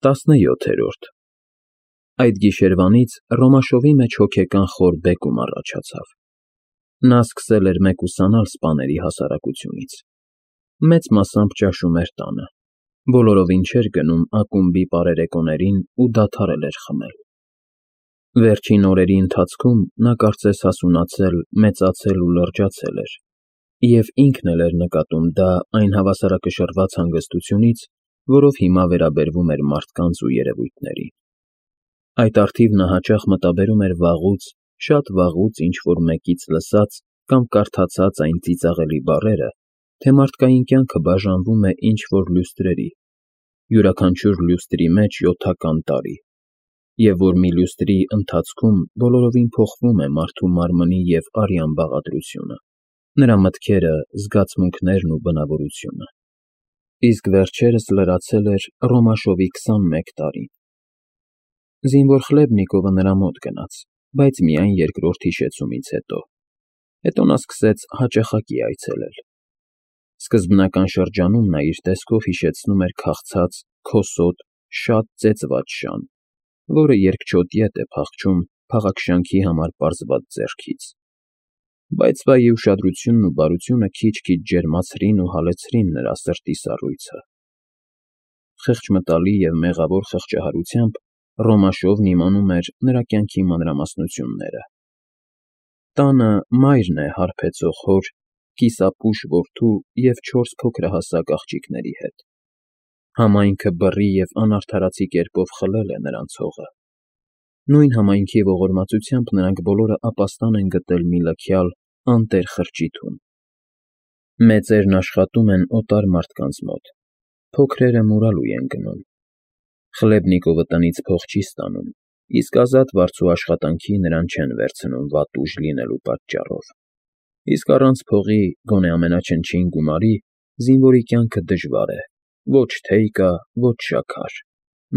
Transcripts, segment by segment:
17-րդ Այդ գիշերվանից Ռոմաշովի մեջ հոգեկան խոր բեկում առաջացավ. նա սկսել էր մեկուսանալ սպաների հասարակությունից, մեծ մասամբ ճաշում էր տանը, բոլորովին չէր գնում ակումբի պարերեկոներին ու դադարել էր խմել։ Վերջին օրերի ընթացքում նա կարծես հասունացել, մեծացել ու լրջացել էր, և ինքն էլ էր նկատում դա այն հավասարակշռված հանգստությունից, որով հիմա վերաբերվում էր մարդկանց ու երևույթներին։ Այդ առթիվ նա հաճախ մտաբերում էր վաղուց, շատ վաղուց ինչ-որ մեկից լսած կամ կարդացած այն ծիծաղելի բառերը, թե մարդկային կյանքը բաժանվում է ինչ-որ լյուստրերի, յուրաքանչյուր լյուստրի մեջ 7-ական տարի, և որ մի լյուստրի ընթացքում բոլորովին փոխվում է մարդու մարմնի և արյան բաղադրությունը, նրա մտքերը, զգացմունքներն ու բնավորությունը։ Իսկ վերջերս լրացել էր Ռոմաշովի 21 տարին։ Զինվոր Խլեբնիկովը նրա մոտ գնաց, բայց միայն երկրորդ հիշեցումից հետո։ Հետո նա սկսեց հաճախակի այցելել։ Սկզբնական շրջանում նա իր տեսքով հիշեցնում էր քաղցած, քոսոտ, շատ ծեծված շան, որը երկչոտ ետ է փախչում փաղաքշանքի համար պարզված ձեռքից։ Բայց վայի ուշադրությունն ու բարությունը քիչ-քիչ ջերմացրին ու հալեցրին նրա սրտի սառույցը։ Խեղճմտալի և մեղավոր խղճահարությամբ Ռոմաշովն իմանում էր նրա կյանքի մանրամասնությունները։ Տանը մայրն է հարբեցող հոր, կիսապուշ որդու և 4 փոքրահասակ աղջիկների հետ։ Համայնքը բռի և անարդարացի կերպով խլել է նրանց հողը։ Նույն համայնքի ողորմածությամբ նրանք բոլորը ապաստան են գտել մի լքյալ, անտեր խրճիթում։ Մեծերն աշխատում են օտար մարդկանց մոտ, փոքրերը մուրալու են գնում։ Խլեբնիկովը տնից փող չի ստանում, իսկ ազատ վարձու աշխատանքի նրան չեն վերցնում վատ ուժ լինելու պատճառով։ Իսկ առանց փողի, գոնե ամենաչնչին գումարի, զինվորի կյանքը դժվար է, ոչ թեյ կա, ոչ շաքար,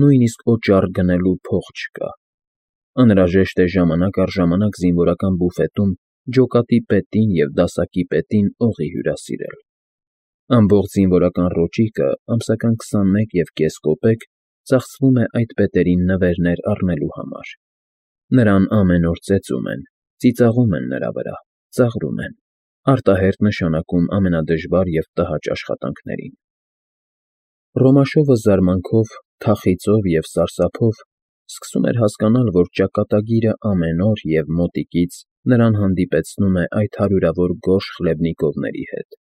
նույնիսկ օճառ գնելու փող չկա։ Անհրաժեշտ է ժամանակ առ ժամանակ զինվորական բուֆետում ջոկատի պետին և դասակի պետին օղի հյուրասիրել։ Ամբողջ զինվորական ռոճիկը ամսական 21,5 կոպեկ ծախսվում է այդ պետերին նվերներ առնելու համար։ Նրան ամեն օր ծեծում են, ծիծաղում են նրա վրա, ծաղրում են, արտահերթ նշանակում ամենադժվար և տհաճ աշխատանքներին։ Ռոմաշովը զարմանքով, թախիծով և սարսափով սկսում էր հասկանալ, որ ճակատագիրը ամեն օր և մոտիկից նրան հանդիպեցնում է այդ հարյուրավոր գորշ Խլեբնիկովների հետ,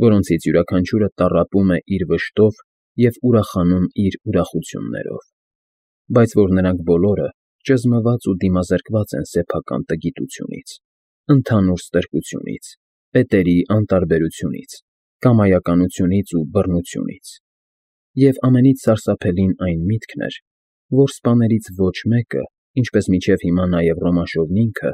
որոնցից յուրաքանչյուրը տառապում է իր վշտով և ուրախանում իր ուրախություններով, բայց որ նրանք բոլորը ճզմված ու դիմազրկված են սեփական տգիտությունից, ընդհանուր ստրկությունից, պետերի անտարբերությունից, կամայականությունից ու բռնությունից։ Եվ ամենից սարսափելին այն միտքն էր, որ սպաներից ոչ մեկը, ինչպես մինչև հիմա նաև Ռոմաշովն ինքը,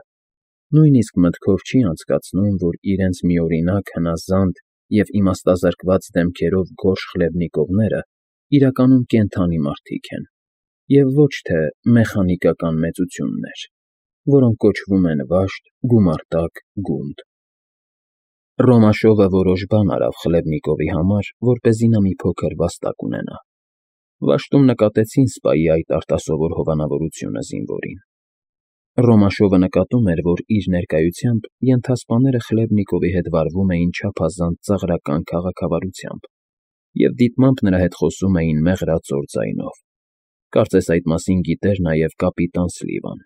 նույնիսկ մտքով չի անցկացնում, որ իրենց միօրինակ, հնազանդ և իմաստազրկված դեմքերով գորշ Խլեբնիկովները իրականում կենդանի մարդիկ են, և ոչ թե մեխանիկական մեծություններ, որոնք կոչվում են վաշտ, գումարտակ, գունդ։ Ռոմաշովը որոշ բան արավ Խլեբնիկովի համար, որպեսզի նա մի փոքր վաստակ ունենա։ Վաշտում նկատեցին սպայի այդ արտասովոր հովանավորությունը զինվորին։ Ռոմաշովը նկատում էր, որ իր ներկայությամբ ենթասպաները Խլեբնիկովի հետ վարվում էին չափազանց ծաղրական քաղաքավարությամբ և դիտմամբ նրա հետ խոսում էին մեղրածոր ձայնով։ Կարծես այդ մասին գիտեր նաև կապիտան Սլիվան։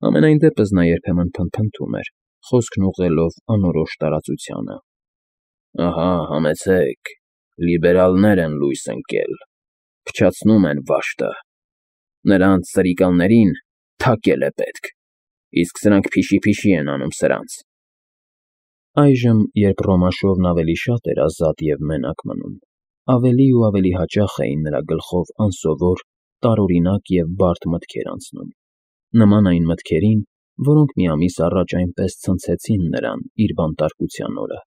Համենայն դեպս նա երբեմն փնթփնթում էր, խոսքն ուղղելով անորոշ տարածությանը։ «Ահա, համեցեք, լիբերալներ են լույս ընկել, փչացնում են վաշտը։ Նրանց սրիկալներին թակել է պետք, իսկ սրանք փիշի-փիշի են անում սրանց»։ Այժմ, երբ Ռոմաշովն ավելի շատ էր ազատ և մենակ մնում, ավելի ու ավելի հաճախ էին նրա գլխով անսովոր, տարօրինակ և բարդ մտքեր անցնում, նման այն մտքերին, որոնք մի ամիս առաջ այնպես ցնցեցին նրան իր բանտարկության օրը։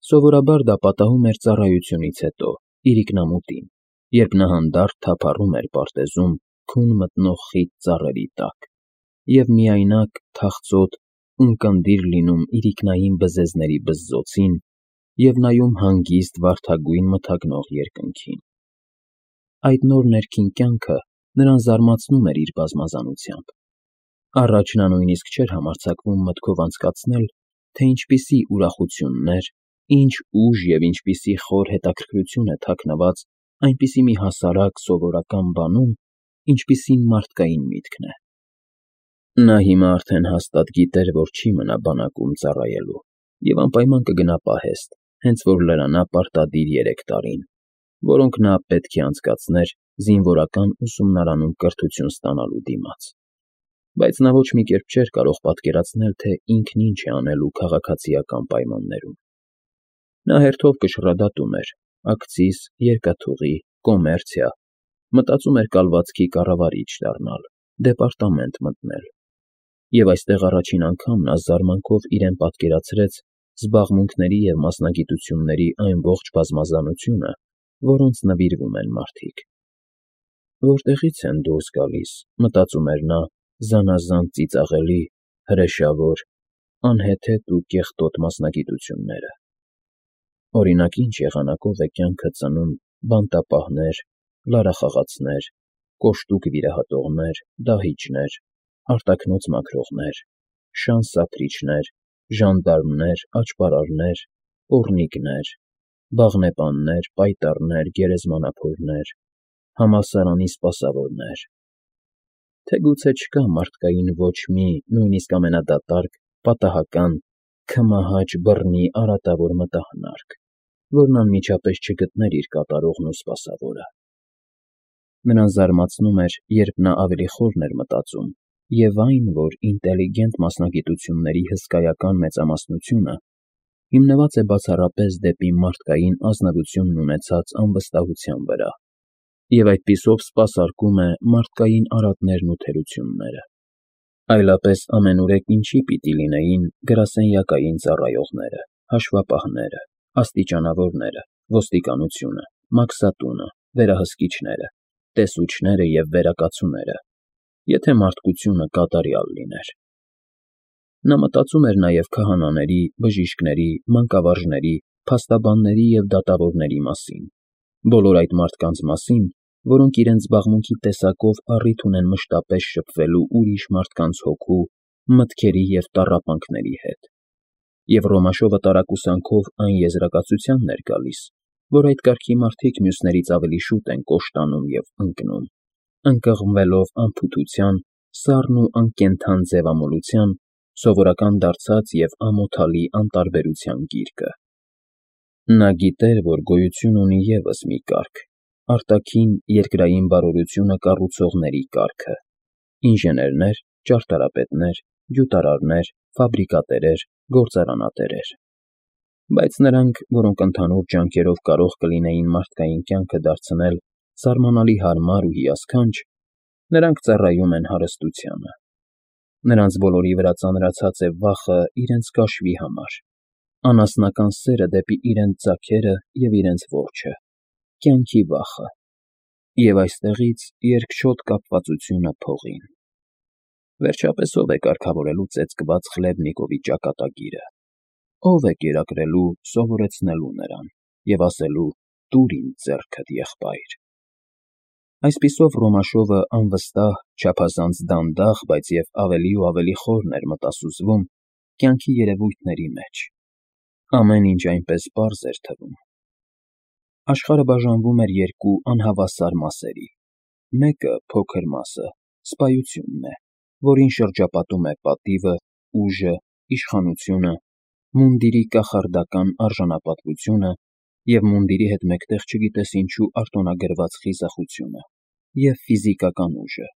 Սովորաբար դա պատահում էր ծառայությունից հետո, իրիկնամուտին, երբ նա հանդարտ թափառում էր պարտեզում քուն մտնող խիտ ծառերի տակ և միայնակ, թախծոտ, ունկնդիր լինում իրիկնային բզեզների բզզոցին և նայում հանգիստ, վարդագույն մթագնող երկնքին։ այդ նոր ներքին կյանքը նրան զարմացնում էր իր բազմազանությամբ։ Առաջ նա նույնիսկ չէր համարձակվում մտքով անցկացնել, թե ինչպիսի ուրախություններ, ինչ ուժ և ինչպիսի խոր հետաքրքրություն է թաքնված այնպիսի մի հասարակ սովորական բանում, ինչպիսին մարդկային միտքն է։ Նա հիմա արդեն հաստատ գիտեր, որ չի մնա բանակում ծառայելու և անպայման կգնա պահեստ, հենց որ լրանա պարտադիր 3 տարին, որոնք նա պետք է անցկացներ զինվորական ուսումնարանում կրթություն ստանալու դիմաց։ Բայց նա ոչ մի կերպ չէր կարող պատկերացնել, թե ինքն ինչ է անելու քաղաքացիական պայմաններում։ Նա հերթով կշռադատում էր ակցիզ, երկաթուղի, կոմերցիա, մտածում էր կալվածքի կառավարիչ դառնալ, դեպարտամենտ մտնել։ Եվ այստեղ առաջին անգամ նա զարմանքով իրեն պատկերացրեց զբաղմունքների և մասնագիտությունների այն ողջ բազմազանությունը, որոնց նվիրվում են մարդիկ։ Որտեղի՞ց են դուրս գալիս, մտածում էր նա, զանազան ծիծաղելի, հրեշավոր, անհեթեթ ու կեղտոտ մասնագիտությունները։ Օրինակ, ինչ եղանակով է կյանքը ծնում բանտապահներ, լարախաղացներ, կոշտուկ վիրահատողներ, դահիճներ, արտաքնոց մաքրողներ, շան սափրիչներ, ժանդարմներ, աճպարարներ, պոռնիկներ, բաղնեպաններ, պայտառներ, գերեզմանափորներ, համալսարանի սպասավորներ։ Թե գուցե չկա մարդկային ոչ մի, նույնիսկ ամենադատարկ, պատահական, քմահաճ բռնի արատավոր մտահնարկ, որն անմիջապես չգտներ իր կատարողն ու սպասավորը։ Նրան զարմացնում էր, երբ նա ավելի խորն էր մտածում, և այն, որ ինտելիգենտ մասնագիտությունների հսկայական մեծամասնությունը հիմնված է բացառապես դեպի մարդկային ազնվությունն ունեցած անվստահության վրա, և այդպիսով սպասարկում է մարդկային արատներն ու թերությունները։ Այլապես ամենուրեք ինչի պիտի լինեին գրասենյակային ծառայողները, հաշվապահները, աստիճանավորները, ոստիկանությունը, մաքսատունը, վերահսկիչները, տեսուչները և վերակացուները, եթե մարդկությունը կատարյալ լիներ։ Նա մտածում էր նաև քահանաների, բժիշկների, մանկավարժների, փաստաբանների և դատավորների մասին, բոլոր այդ մարդկանց մասին, որոնք իրենց զբաղմունքի տեսակով առիթ ունեն մշտապես շփվելու ուրիշ մարդկանց հոգու, մտքերի և տառապանքների հետ։ Եվ Ռոմաշովը տարակուսանքով այն եզրակացությանն էր գալիս, որ այդ կարգի մարդիկ մյուսներից ավելի շուտ են կոշտանում և ընկնում, ընկղմվելով անփութության, սառն ու անկենդան ձևամոլության, սովորական դարձած և ամոթալի անտարբերության գիրկը։ Նա գիտեր, որ գոյություն ունի ևս մի կարգ, արտաքին երկրային բարօրությունը կառուցողների կարգը՝ ինժեներներ, ճարտարապետներ, գյուտարարներ, ֆաբրիկատերեր, գործարանատերեր։ Բայց նրանք, որոնք ընդհանուր ջանքերով կարող կլինեին մարդկային կյանքը դարձնել զարմանալի հարմար ու հիասքանչ, նրանք ծառայում են հարստությանը։ Նրանց բոլորի վրա ծանրացած է վախը իրենց կաշվի համար, անասնական սերը դեպի իրենց ձագերը և իրենց որջը, կյանքի վախը, և այստեղից երկչոտ կապվածությունը փողին։ Վերջապես ո՞վ է կարգավորելու ծեծկված Խլեբնիկովի ճակատագիրը, ո՞վ է կերակրելու, սովորեցնելու նրան և ասելու «Տուր ինձ ձեռքդ, եղբայր»։ Այսպիսով Ռոմաշովը անվստահ, չափազանց դանդաղ, բայց և ավելի ու ավելի խորն էր մտասուզվում կյանքի երևույթների մեջ։ Ամեն ինչ այնպես պարզ էր թվում։ Աշխարհը բաժանվում էր երկու անհավասար մասերի. մեկը, փոքր մասը, սպայությունն է, որին շրջապատում է պատիվը, ուժը, իշխանությունը, մունդիրի կախարդական արժանապատվությունը և մունդիրի հետ մեկտեղ չգիտես ինչու արտոնագրված խիզախությունը, և ֆիզիկական ուժը,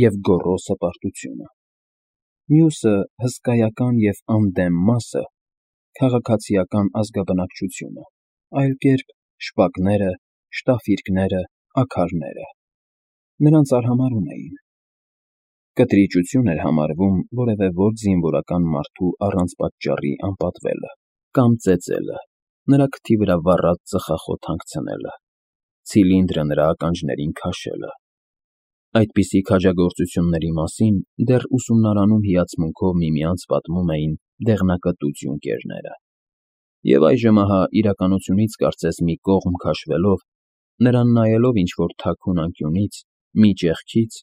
և գոռոզ հպարտությունը։ Մյուսը, հսկայական և անդեմ մասը, քաղաքացիական ազգաբնակչությունը, այլ կերպ շպակները, շտաֆիրկները, աքարները։ Նրանց արհամարհում էին։ Կտրիճություն էր համարվում որևէ ոչ զինվորական մարդու առանց պատճառի անպատվելը կամ ծեծելը, նրա քթի վրա վառած ծխախոտ հանգցնելը, ցիլինդրը նրա ականջներին քաշելը։ Այդպիսի քաջագործությունների մասին դեռ ուսումնարանում հիացմունքով միմյանց պատմում էին դեղնակտուց յունկերները։ Եվ այժմ ահա իրականությունից կարծես մի կողմ քաշվելով, Նրան նայելով ինչ-որ թաքուն անկյունից, մի ճեղքից,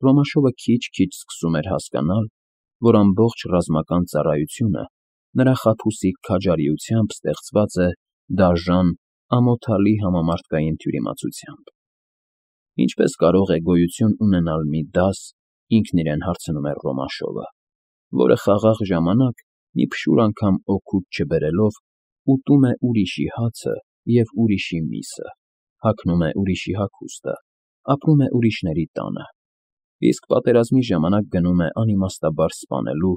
Ռոմաշովը քիչ-քիչ սկսում էր հասկանալ, որ ամբողջ ռազմական ծառայությունը նրա խաբուսիկ քաջարիությամբ ստեղծված է դաժան, ամոթալի համամարտկային թյուրիմացությամբ։ Ինչպես կարող է գոյություն ունենալ մի դաս, ինքն իրեն հարցնում էր Ռոմաշովը, որը խաղաղ ժամանակ մի փշուր անգամ օգուտ չբերելով ուտում է ուրիշի հացը և ուրիշի միսը, հագնում է ուրիշի հագուստը, ապրում է ուրիշների տանը, իսկ պատերազմի ժամանակ գնում է անիմաստաբար սպանելու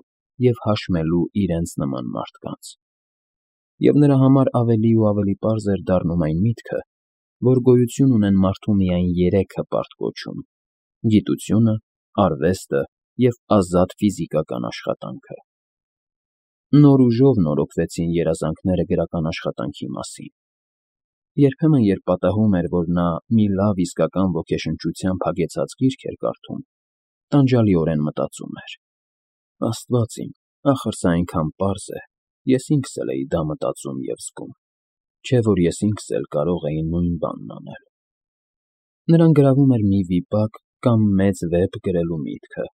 և հաշմելու իրենց նման մարդկանց։ Եվ նրա համար ավելի ու ավելի պարզ էր դառնում այն միտքը, որ գոյություն ունեն մարդու միայն երեք հպարտ կոչում՝ գիտությունը, արվեստը և ազատ ֆիզիկական աշխատանքը։ Նոր ուժով նորոգվեցին երազանքները գրական աշխատանքի մասին։ Երբեմն, երբ պատահում էր, որ նա մի լավ իսկական ոգեշնչությամբ հագեցած գիրք էր կարդում, տանջալիորեն մտածում էր. «Աստված իմ, ախր սա այնքան պարզ է, ես ինքս էլ էի դա մտածում և զգում, չէ՞ որ ես ինքս էլ կարող էի նույն բանն անել»։ Նրան գրավում էր մի վիպակ կամ մեծ վեպ գրելու միտքը,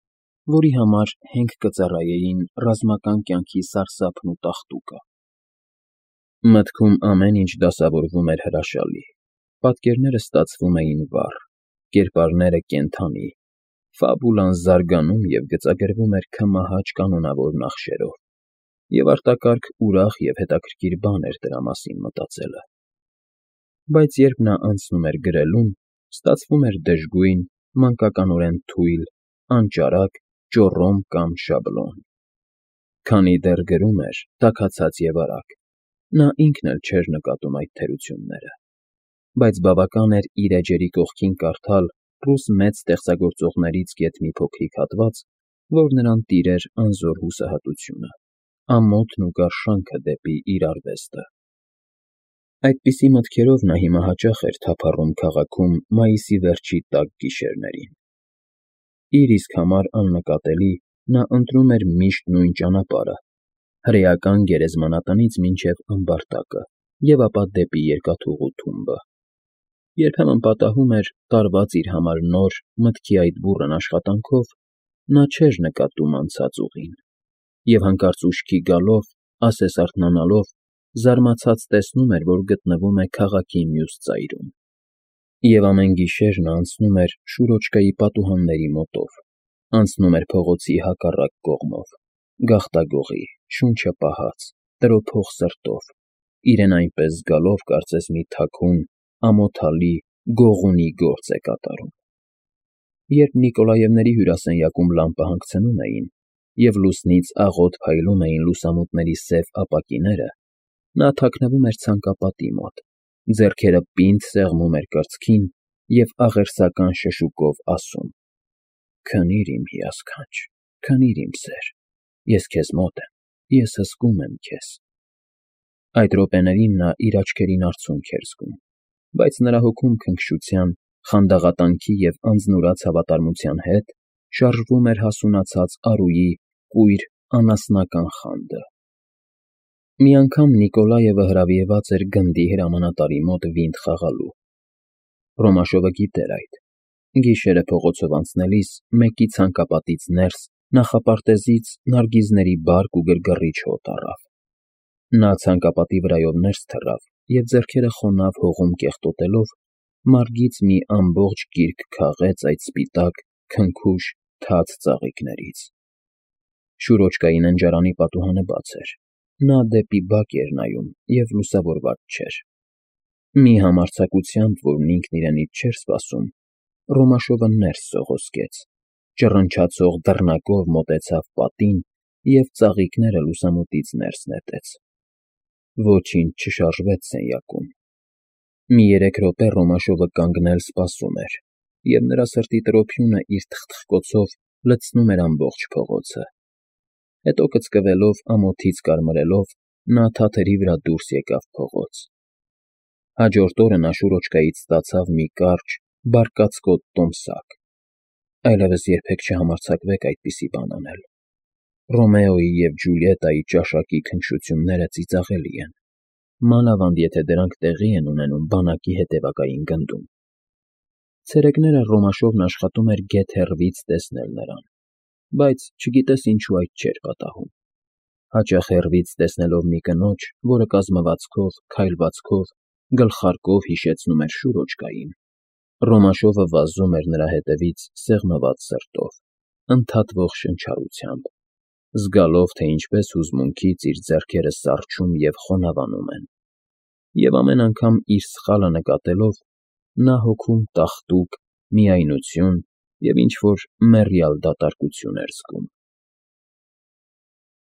որի համար հենք կծառայեին ռազմական կյանքի սարսափն ու տաղտուկը։ Մտքում ամեն ինչ դասավորվում էր հրաշալի, պատկերները ստացվում էին վառ, կերպարները՝ կենդանի, ֆաբուլան զարգանում և գծագրվում էր քմահաճ կանոնավոր նախշերով, և արտակարգ ուրախ և հետաքրքիր բան էր դրա մասին մտածելը։ Բայց երբ նա անցնում էր գրելուն, ստացվում էր դժգույն, մանկականորեն թույլ, անճարակ, ճոռոմ կամ շաբլոն։ Քանի դեռ գրում էր, տաքացած և արագ, նա ինքն էլ չէր նկատում այդ թերությունները, բայց բավական էր իր էջերի կողքին կարդալ ռուս մեծ ստեղծագործողներից գեթ մի փոքրիկ հատված, որ նրան տիրեր անզոր հուսահատությունը, ամոթն ու գարշանքը դեպի իր արվեստը։ Այդպիսի մտքերով նա հիմա հաճախ էր թափառում քաղաքում մայիսի վերջի տաք գիշերներին։ Իր իսկ համար աննկատելի նա ընտրում էր միշտ նույն ճանապարհը՝ հրեական գերեզմանատնից մինչև ամբարտակը և ապա դեպի Երկաթուղու թումբը։ Երբեմն պատահում էր, տարված իր համար նոր, մտքի այդ բուռն աշխատանքով, նա չէր նկատում անցած ուղին, և հանկարծ ուշքի գալով, ասես արթնանալով, զարմացած տեսնում էր, որ գտնվում է քաղաքի մյուս ծայրում։ Եվ ամեն գիշեր նա անցնում էր Շուրոչկայի պատուհանների մոտով, անցնում էր փողոցի հակառակ կողմով, գաղտագողի, շունչը պահած, տրոփող սրտով, իրեն այնպես զգալով, կարծես մի թաքուն, ամոթալի, գողունի գործ է կատարում։ Երբ Նիկոլաևների հյուրասենյակում լամպը հանգցնում էին, և լուսնից աղոտ փայլում էին լուսամուտների սև ապակիները, նա թաքնվում էր ցանկապատի մոտ, ձեռքերը պինդ սեղմում էր կրծքին և աղերսական շշուկով ասում. «Քնի՛ր, իմ հիասքանչ, քնի՛ր, իմ սեր, ես քեզ մոտ եմ, ես հսկում եմ քեզ»։ Այդ րոպեներին նա իր աչքերին արցունք էր զգում, բայց նրա հոգում քնքշության, խանդաղատանքի և անձնուրաց հավատարմության հետ շարժվում էր հասունացած առուի կույր անասնական խանդը։ Մի անգամ Նիկոլաևը հրավիրված էր գնդի հրամանատարի մոտ վինտ խաղալու։ Ռոմաշովը գիտեր այդ։ Գիշերը փողոցով անցնելիս մեկի ցանկապատից ներս նախապարտեզից նարգիզների բարկ ու գրգռիչ հոտ առավ։ Նա ցանկապատի վրայով ներս թռավ և ձեռքերը խոնավ հողում կեղտոտելով մարգից մի ամբողջ գիրք քաղեց այդ սպիտակ, քնքուշ, թաց ծաղիկներից։ Շուրոչկայի ննջարանի պատուհանը բաց էր։ Նա դեպի բակ էր նայում և լուսավորված չէր։ Մի համարձակությամբ, որն ինքն իրենից չէր սպասում, Ռոմաշովը ներս սողոսկեց, ճռնչացող դռնակով մոտեցավ պատին և ծաղիկները լուսամուտից ներս նետեց։ Ոչինչ չշարժվեց սենյակում։ Մի 3 րոպե Ռոմաշովը կանգնել սպասում էր, և նրա սրտի տրոփյունը իր թխթխկոցով լցնում էր ամբողջ փողոցը։ Հետո կծկվելով, ամոթից կարմրելով, նա թաթերի վրա դուրս եկավ փողոց։ Հաջորդ օրը նա Շուրոչկայից ստացավ մի կարճ, բարկացկոտ տոմսակ։ Այլևս երբեք չհամարձակվեք այդպիսի բան անել։ Ռոմեոյի և Ջուլիետայի ճաշակի քնքշությունները ծիծաղելի են, մանավանդ եթե դրանք տեղի են ունենում բանակի հետևակային գնդում։ Ցերեկները Ռոմաշովն աշխատում էր գեթ հեռվից տեսնել նրան, բայց չգիտես ինչու այդ չէր պատահում. հաճախ հեռվից տեսնելով մի կնոջ, որը կազմվածքով, քայլվածքով, գլխարկով հիշեցնում էր շուրոջկային, Ռոմաշովը վազում էր նրա հետևից սեղմված սրտով, ընդհատվող շնչառությամբ, զգալով, թե ինչպես հուզմունքից իր ձեռքերը սառչում և խոնավանում են, և ամեն անգամ իր սխալը նկատելով, նա հոգում տաղտուկ, միայնություն և ինչ֊որ մեռյալ դատարկություն էր զգում։